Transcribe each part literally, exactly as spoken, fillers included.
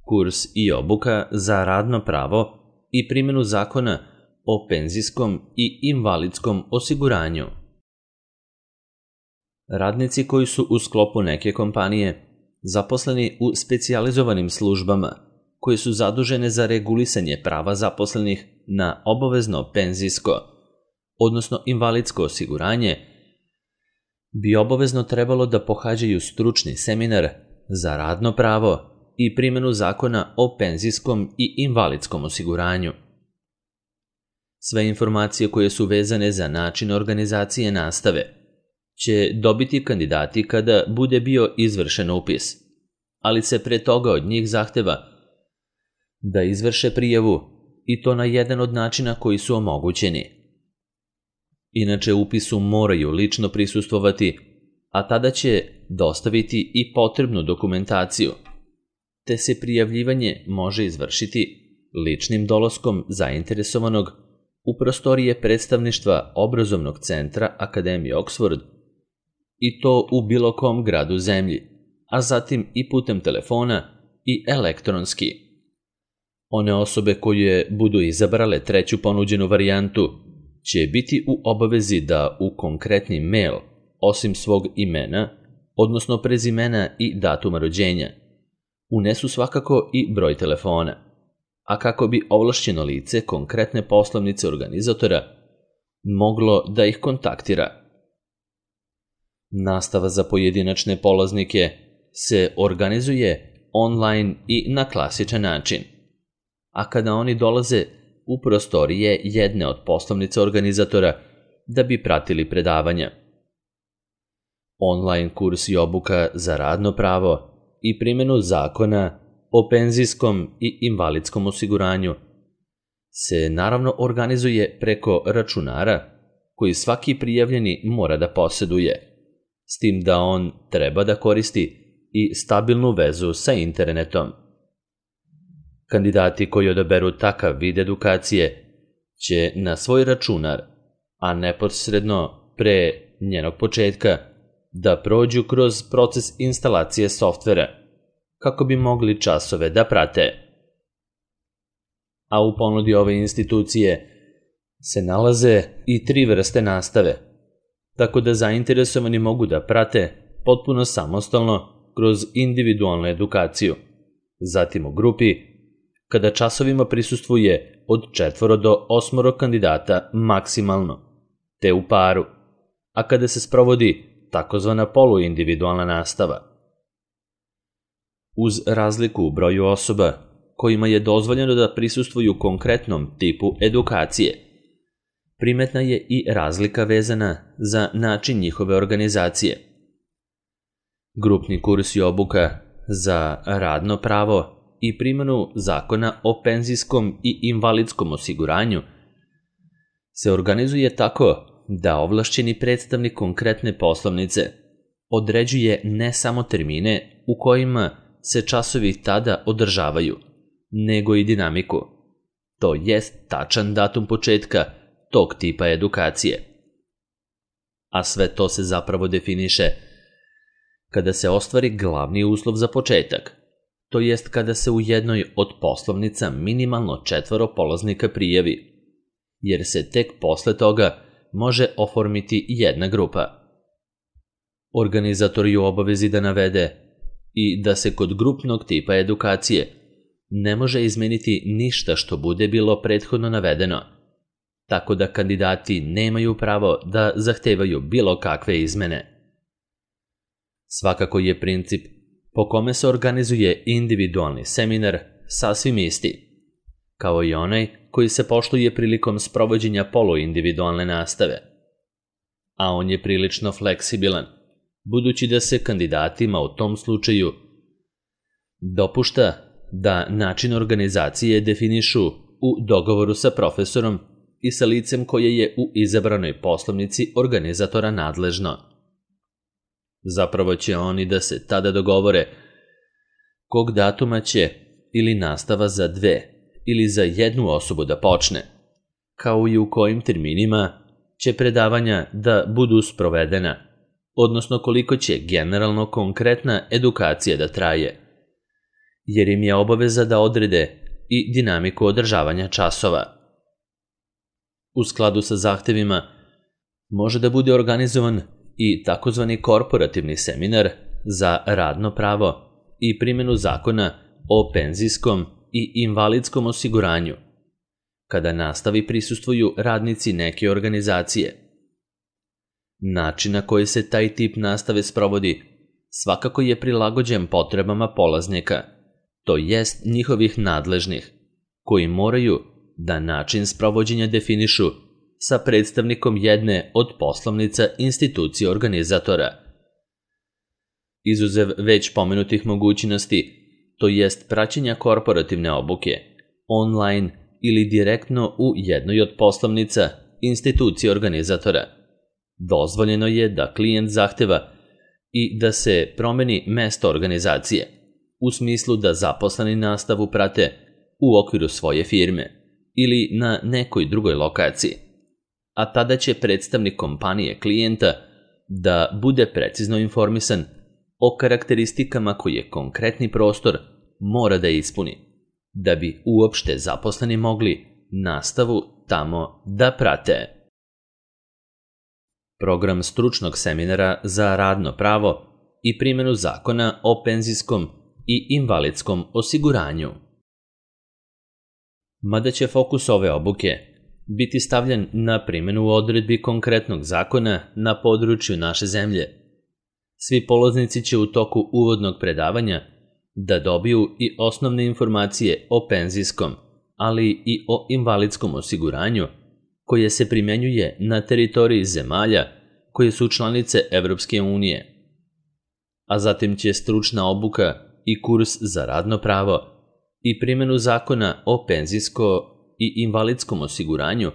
kurs i obuka za radno pravo i primjenu zakona o penzijskom i invalidskom osiguranju. Radnici koji su u sklopu neke kompanije zaposleni u specijalizovanim službama koje su zadužene za regulisanje prava zaposlenih na obavezno penzijsko, odnosno invalidsko osiguranje, bi obavezno trebalo da pohađaju stručni seminar za radno pravo i primjenu zakona o penzijskom i invalidskom osiguranju. Sve informacije koje su vezane za način organizacije nastave će dobiti kandidati kada bude bio izvršen upis, ali se pre toga od njih zahteva da izvrše prijavu i to na jedan od načina koji su omogućeni. Inače, upisu moraju lično prisustvovati, a tada će dostaviti i potrebnu dokumentaciju, te se prijavljivanje može izvršiti ličnim dolaskom zainteresovanog u prostorije predstavništva obrazovnog centra Akademije Oxford, i to u bilo kom gradu zemlji, a zatim i putem telefona i elektronski. One osobe koje budu izabrale treću ponuđenu varijantu će biti u obavezi da u konkretni mail, osim svog imena, odnosno prezimena i datuma rođenja, unesu svakako i broj telefona, a kako bi ovlašćeno lice konkretne poslovnice organizatora moglo da ih kontaktira. Nastava za pojedinačne polaznike se organizuje online i na klasičan način, a kada oni dolaze u prostorije jedne od poslovnica organizatora da bi pratili predavanja. Online kurs i obuka za radno pravo i primjenu zakona o penzijskom i invalidskom osiguranju se naravno organizuje preko računara koji svaki prijavljeni mora da poseduje, s tim da on treba da koristi i stabilnu vezu sa internetom. Kandidati koji odaberu takav vid edukacije će na svoj računar, a neposredno pre njenog početka, da prođu kroz proces instalacije softvera kako bi mogli časove da prate. A u ponudi ove institucije se nalaze i tri vrste nastave, tako da zainteresovani mogu da prate potpuno samostalno kroz individualnu edukaciju, zatim u grupi, kada časovima prisustvuje od četvoro do osmoro kandidata maksimalno, te u paru, a kada se sprovodi takozvana poluindividualna nastava. Uz razliku u broju osoba kojima je dozvoljeno da prisustvuju konkretnom tipu edukacije, primetna je i razlika vezana za način njihove organizacije. Grupni kurs i obuka za radno pravo i primjenu zakona o penzijskom i invalidskom osiguranju se organizuje tako da ovlašćeni predstavnik konkretne poslovnice određuje ne samo termine u kojima se časovi tada održavaju, nego i dinamiku, to jest tačan datum početka tog tipa edukacije. A sve to se zapravo definiše kada se ostvari glavni uslov za početak, to jest kada se u jednoj od poslovnica minimalno četvoro polaznika prijavi, jer se tek posle toga može oformiti jedna grupa. Organizator je u obavezi da navede i da se kod grupnog tipa edukacije ne može izmeniti ništa što bude bilo prethodno navedeno, tako da kandidati nemaju pravo da zahtevaju bilo kakve izmene. Svakako je princip po kome se organizuje individualni seminar sasvim isti, kao i onaj koji se poštuje prilikom sprovođenja poluindividualne nastave. A on je prilično fleksibilan, budući da se kandidatima u tom slučaju dopušta da način organizacije definišu u dogovoru sa profesorom i sa licem koje je u izabranoj poslovnici organizatora nadležno. Zapravo će oni da se tada dogovore kog datuma će ili nastava za dve ili za jednu osobu da počne, kao i u kojim terminima će predavanja da budu sprovedena, odnosno koliko će generalno konkretna edukacija da traje, jer im je obaveza da odrede i dinamiku održavanja časova. U skladu sa zahtevima može da bude organizovan i takozvani korporativni seminar za radno pravo i primjenu zakona o penzijskom i invalidskom osiguranju, kada nastavi prisustvuju radnici neke organizacije. Način na koji se taj tip nastave sprovodi svakako je prilagođen potrebama polaznika, to jest njihovih nadležnih, koji moraju da način sprovođenja definišu sa predstavnikom jedne od poslovnica institucije organizatora. Izuzev već pomenutih mogućnosti, to jest praćenja korporativne obuke, online ili direktno u jednoj od poslovnica institucije organizatora, dozvoljeno je da klijent zahteva i da se promeni mesto organizacije, u smislu da zaposleni nastavu prate u okviru svoje firme ili na nekoj drugoj lokaciji, a tada će predstavnik kompanije klijenta da bude precizno informisan o karakteristikama koje konkretni prostor mora da ispuni, da bi uopšte zaposleni mogli nastavu tamo da prate. Program stručnog seminara za radno pravo i primjenu zakona o penzijskom i invalidskom osiguranju. Mada će fokus ove obuke biti stavljen na primjenu odredbi konkretnog zakona na području naše zemlje, svi polaznici će u toku uvodnog predavanja da dobiju i osnovne informacije o penzijskom, ali i o invalidskom osiguranju, koje se primjenjuje na teritoriji zemalja koje su članice Evropske unije. A zatim će stručna obuka i kurs za radno pravo i primjenu zakona o penzijsko i invalidskom osiguranju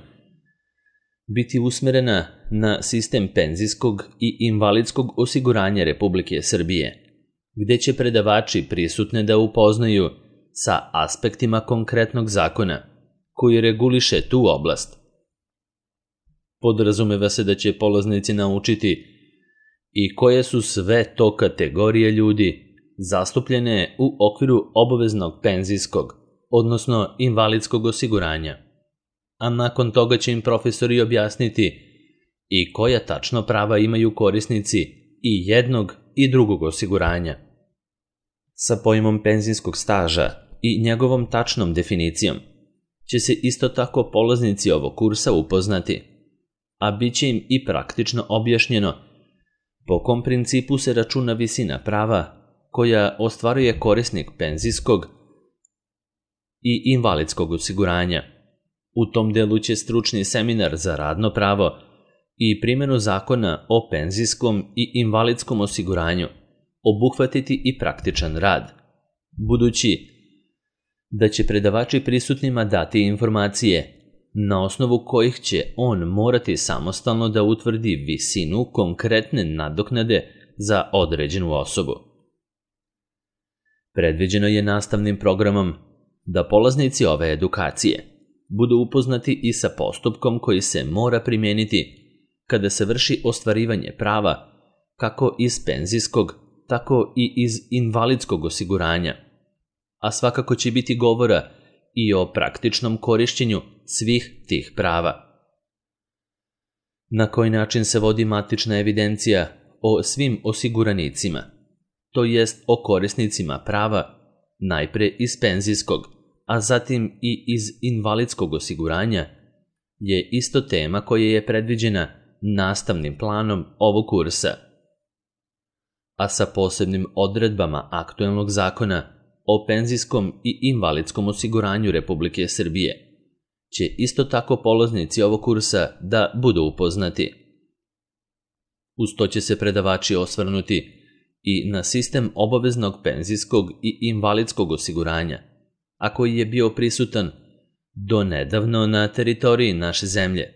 biti usmerena na sistem penzijskog i invalidskog osiguranja Republike Srbije, gde će predavači prisutne da upoznaju sa aspektima konkretnog zakona koji reguliše tu oblast. Podrazumeva se da će polaznici naučiti i koje su sve to kategorije ljudi zastupljene u okviru obaveznog penzijskog, odnosno invalidskog osiguranja, a nakon toga će im profesori objasniti i koja tačno prava imaju korisnici i jednog i drugog osiguranja. Sa pojmom penzijskog staža i njegovom tačnom definicijom će se isto tako polaznici ovog kursa upoznati, a bit će im i praktično objašnjeno po kom principu se računa visina prava koja ostvaruje korisnik penzijskog i invalidskog osiguranja. U tom delu će stručni seminar za radno pravo i primjenu zakona o penzijskom i invalidskom osiguranju obuhvatiti i praktičan rad, budući da će predavači prisutnima dati informacije na osnovu kojih će on morati samostalno da utvrdi visinu konkretne nadoknade za određenu osobu. Predviđeno je nastavnim programom da polaznici ove edukacije budu upoznati i sa postupkom koji se mora primijeniti kada se vrši ostvarivanje prava kako iz penzijskog, tako i iz invalidskog osiguranja, a svakako će biti govora i o praktičnom korišćenju svih tih prava. Na koji način se vodi matična evidencija o svim osiguranicima, to jest o korisnicima prava, najpre iz penzijskog, a zatim i iz invalidskog osiguranja, je isto tema koja je predviđena nastavnim planom ovog kursa, a sa posebnim odredbama aktuelnog zakona o penzijskom i invalidskom osiguranju Republike Srbije će isto tako polaznici ovog kursa da budu upoznati. Uz to će se predavači osvrnuti i na sistem obaveznog penzijskog i invalidskog osiguranja, a koji je bio prisutan do nedavno na teritoriji naše zemlje,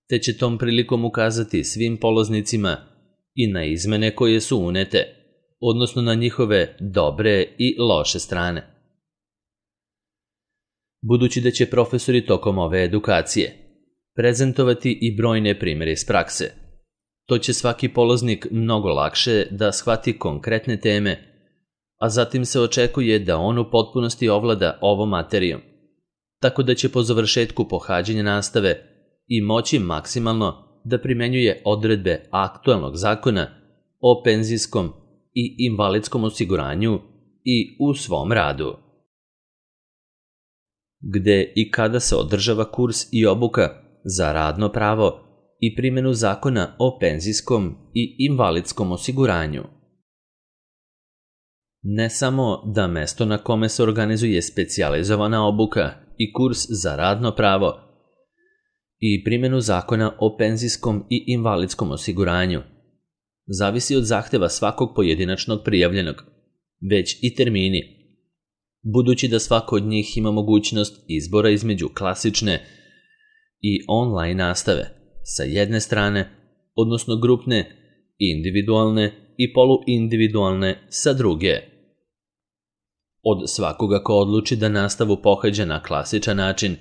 te će tom prilikom ukazati svim polaznicima i na izmene koje su unete, odnosno na njihove dobre i loše strane. Budući da će profesori tokom ove edukacije prezentovati i brojne primjere iz prakse, to će svaki polaznik mnogo lakše da shvati konkretne teme a zatim se očekuje da on u potpunosti ovlada ovom materijom, tako da će po završetku pohađanja nastave i moći maksimalno da primenjuje odredbe aktualnog zakona o penzijskom i invalidskom osiguranju i u svom radu. Gde i kada se održava kurs i obuka za radno pravo i primjenu zakona o penzijskom i invalidskom osiguranju. Ne samo da mesto na kome se organizuje specijalizovana obuka i kurs za radno pravo i primjenu zakona o penzijskom i invalidskom osiguranju zavisi od zahteva svakog pojedinačnog prijavljenog, već i termini, budući da svako od njih ima mogućnost izbora između klasične i online nastave sa jedne strane, odnosno grupne, individualne i poluindividualne sa druge. Od svakoga ko odluči da nastavu pohađa na klasičan način,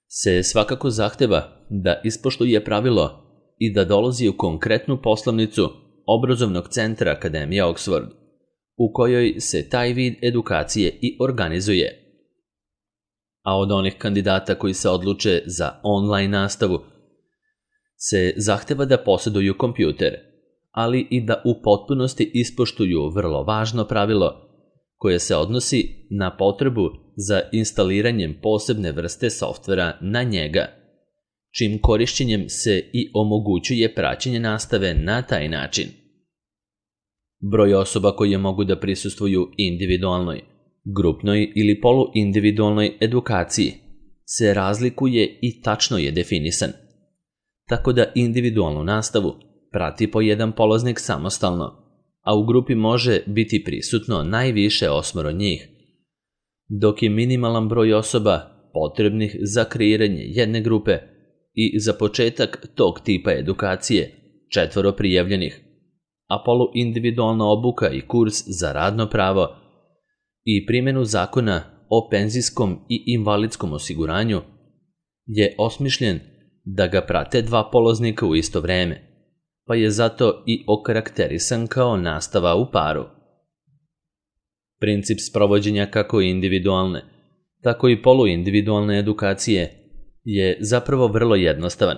se svakako zahteva da ispoštuje pravilo i da dolazi u konkretnu poslovnicu obrazovnog centra Akademije Oxford, u kojoj se taj vid edukacije i organizuje. A od onih kandidata koji se odluče za online nastavu se zahteva da posjeduju kompjuter, ali i da u potpunosti ispoštuju vrlo važno pravilo koje se odnosi na potrebu za instaliranjem posebne vrste softvera na njega, čim korišćenjem se i omogućuje praćenje nastave na taj način. Broj osoba koje mogu da prisustvuju individualnoj, grupnoj ili poluindividualnoj edukaciji se razlikuje i tačno je definisan, tako da individualnu nastavu prati po jedan polaznik samostalno, a u grupi može biti prisutno najviše osmoro njih, dok je minimalan broj osoba potrebnih za kreiranje jedne grupe i za početak tog tipa edukacije četvoro prijavljenih, a poluindividualna obuka i kurs za radno pravo i primjenu zakona o penzijskom i invalidskom osiguranju je osmišljen da ga prate dva polaznika u isto vreme, pa je zato i okarakterisan kao nastava u paru. Princip sprovođenja kako individualne, tako i poluindividualne edukacije je zapravo vrlo jednostavan,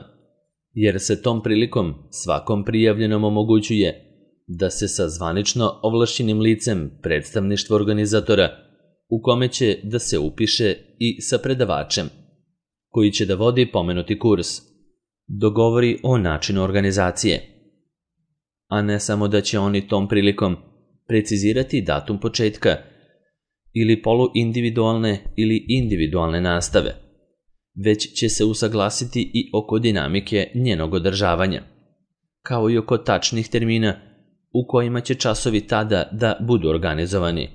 jer se tom prilikom svakom prijavljenom omogućuje da se sa zvanično ovlašćenim licem predstavništva organizatora, u kome će da se upiše i sa predavačem, koji će da vodi pomenuti kurs, dogovori o načinu organizacije, a ne samo da će oni tom prilikom precizirati datum početka ili poluindividualne ili individualne nastave, već će se usaglasiti i oko dinamike njenog održavanja, kao i oko tačnih termina u kojima će časovi tada da budu organizovani.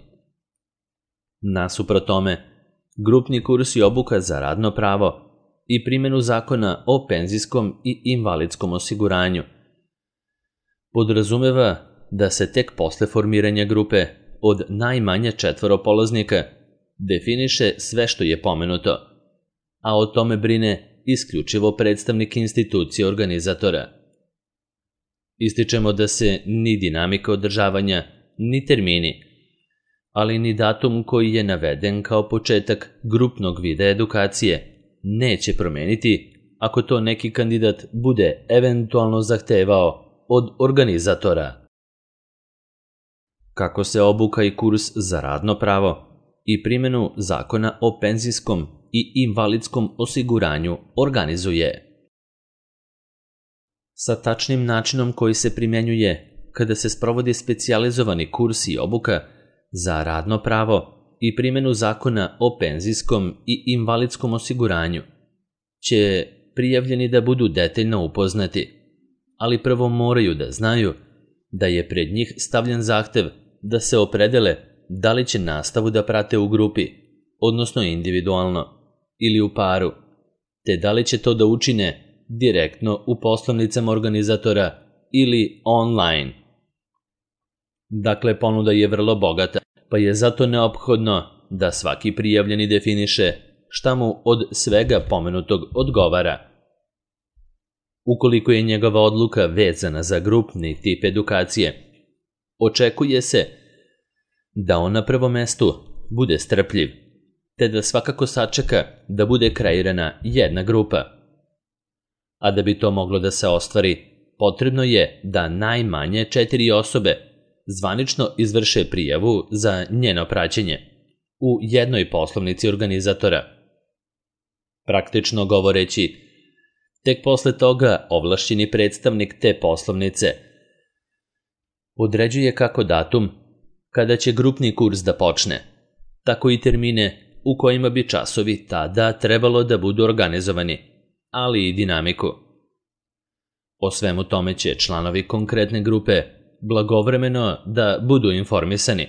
Nasuprot tome, grupni kurs i obuka za radno pravo i primjenu zakona o penzijskom i invalidskom osiguranju podrazumeva da se tek posle formiranja grupe od najmanje četvoro polaznika definiše sve što je pomenuto, a o tome brine isključivo predstavnik institucije organizatora. Ističemo da se ni dinamika održavanja, ni termini, ali ni datum koji je naveden kao početak grupnog vida edukacije neće promeniti ako to neki kandidat bude eventualno zahtevao od organizatora. Kako se obuka i kurs za radno pravo i primjenu zakona o penzijskom i invalidskom osiguranju organizuje? Sa tačnim načinom koji se primjenjuje kada se sprovodi specijalizovani kurs i obuka za radno pravo i primjenu zakona o penzijskom i invalidskom osiguranju će prijavljeni da budu detaljno upoznati, ali prvo moraju da znaju da je pred njih stavljen zahtev da se opredele da li će nastavu da prate u grupi, odnosno individualno, ili u paru, te da li će to da učine direktno u poslovnicama organizatora ili online. Dakle, ponuda je vrlo bogata, pa je zato neophodno da svaki prijavljeni definiše šta mu od svega pomenutog odgovara. Ukoliko je njegova odluka vezana za grupni tip edukacije, očekuje se Da on na prvom mestu bude strpljiv, te da svakako sačeka da bude kreirana jedna grupa. A da bi to moglo da se ostvari, potrebno je da najmanje četiri osobe zvanično izvrše prijavu za njeno praćenje u jednoj poslovnici organizatora. Praktično govoreći, tek posle toga ovlašćeni predstavnik te poslovnice određuje kako datum kada će grupni kurs da počne, tako i termine u kojima bi časovi tada trebalo da budu organizovani, ali i dinamiku. O svemu tome će članovi konkretne grupe blagovremeno da budu informisani,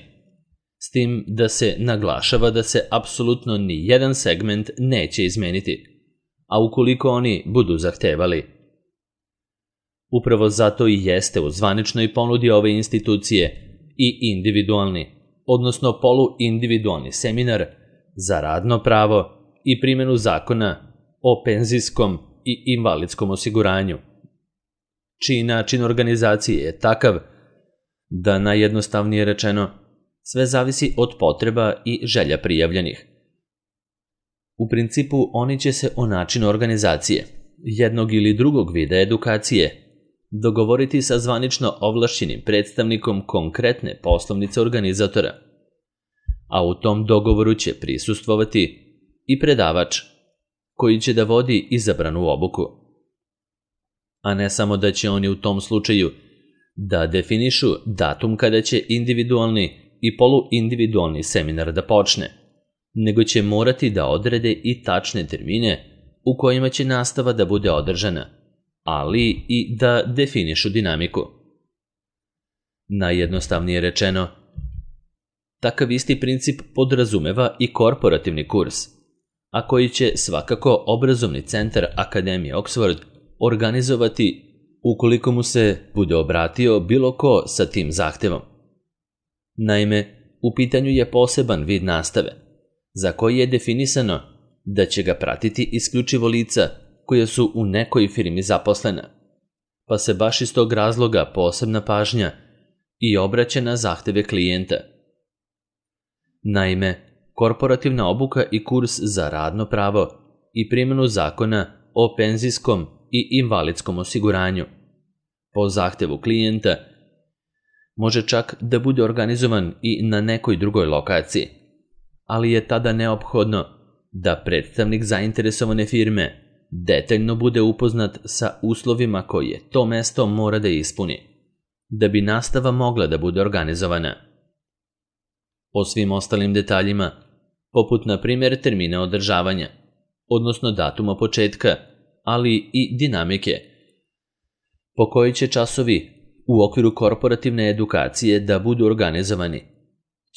s tim da se naglašava da se apsolutno ni jedan segment neće izmeniti, a ukoliko oni budu zahtevali. Upravo zato i jeste u zvaničnoj ponudi ove institucije i individualni, odnosno poluindividualni seminar za radno pravo i primjenu zakona o penzijskom i invalidskom osiguranju, čiji način organizacije je takav da, najjednostavnije rečeno, sve zavisi od potreba i želja prijavljenih. U principu oni će se o načinu organizacije jednog ili drugog vida edukacije dogovoriti sa zvanično ovlašćenim predstavnikom konkretne poslovnice organizatora, a u tom dogovoru će prisustvovati i predavač koji će da vodi izabranu obuku. A ne samo da će oni u tom slučaju da definišu datum kada će individualni i poluindividualni seminar da počne, nego će morati da odrede i tačne termine u kojima će nastava da bude održana, ali i da definišu dinamiku. Najjednostavnije rečeno, takav isti princip podrazumeva i korporativni kurs, a koji će svakako obrazovni centar Akademije Oxford organizovati ukoliko mu se bude obratio bilo ko sa tim zahtevom. Naime, u pitanju je poseban vid nastave, za koji je definisano da će ga pratiti isključivo lica koja su u nekoj firmi zaposlena, pa se baš iz tog razloga posebna pažnja i obraća na zahteve klijenta. Naime, korporativna obuka i kurs za radno pravo i primjenu zakona o penzijskom i invalidskom osiguranju po zahtevu klijenta može čak da bude organizovan i na nekoj drugoj lokaciji, ali je tada neophodno da predstavnik zainteresovane firme detaljno bude upoznat sa uslovima koje to mesto mora da ispuni, da bi nastava mogla da bude organizovana. O svim ostalim detaljima, poput na primjer termina održavanja, odnosno datuma početka, ali i dinamike, po kojoj će časovi u okviru korporativne edukacije da budu organizovani,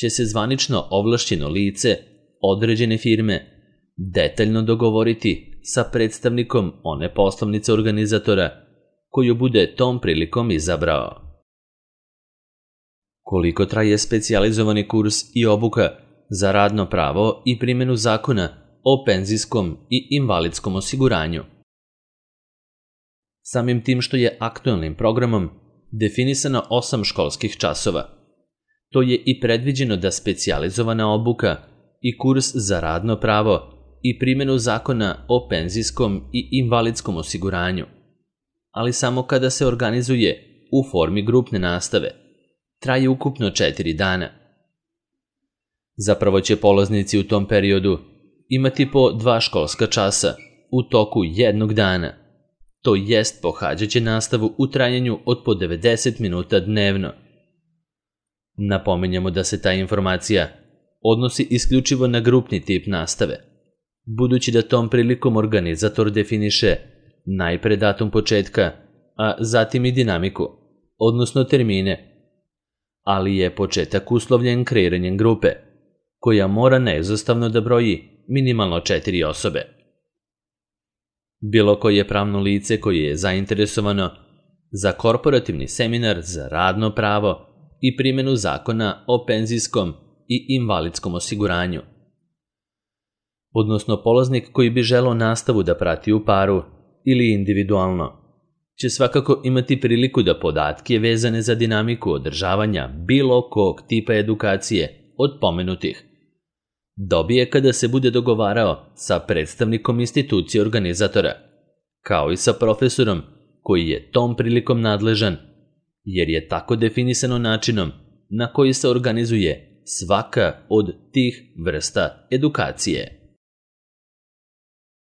će se zvanično ovlašćeno lice određene firme detaljno dogovoriti sa predstavnikom one poslovnice organizatora koju bude tom prilikom izabrao. Koliko traje specijalizovani kurs i obuka za radno pravo i primjenu zakona o penzijskom i invalidskom osiguranju? Samim tim što je aktualnim programom definisano osam školskih časova, to je i predviđeno da specijalizovana obuka i kurs za radno pravo i primjenu zakona o penzijskom i invalidskom osiguranju, ali samo kada se organizuje u formi grupne nastave, traje ukupno četiri dana. Zapravo će polaznici u tom periodu imati po dva školska časa u toku jednog dana, to jest pohađaće nastavu u trajanju od po devedeset minuta dnevno. Napominjemo da se ta informacija odnosi isključivo na grupni tip nastave, budući da tom prilikom organizator definiše najpre datum početka, a zatim i dinamiku, odnosno termine, ali je početak uslovljen kreiranjem grupe, koja mora neizostavno da broji minimalno četiri osobe. Bilo koje pravno lice koje je zainteresovano za korporativni seminar za radno pravo i primjenu zakona o penzijskom i invalidskom osiguranju, odnosno polaznik koji bi želeo nastavu da prati u paru ili individualno, će svakako imati priliku da podatke vezane za dinamiku održavanja bilo kog tipa edukacije od pomenutih dobije kada se bude dogovarao sa predstavnikom institucije organizatora, kao i sa profesorom koji je tom prilikom nadležan, jer je tako definisano načinom na koji se organizuje svaka od tih vrsta edukacije.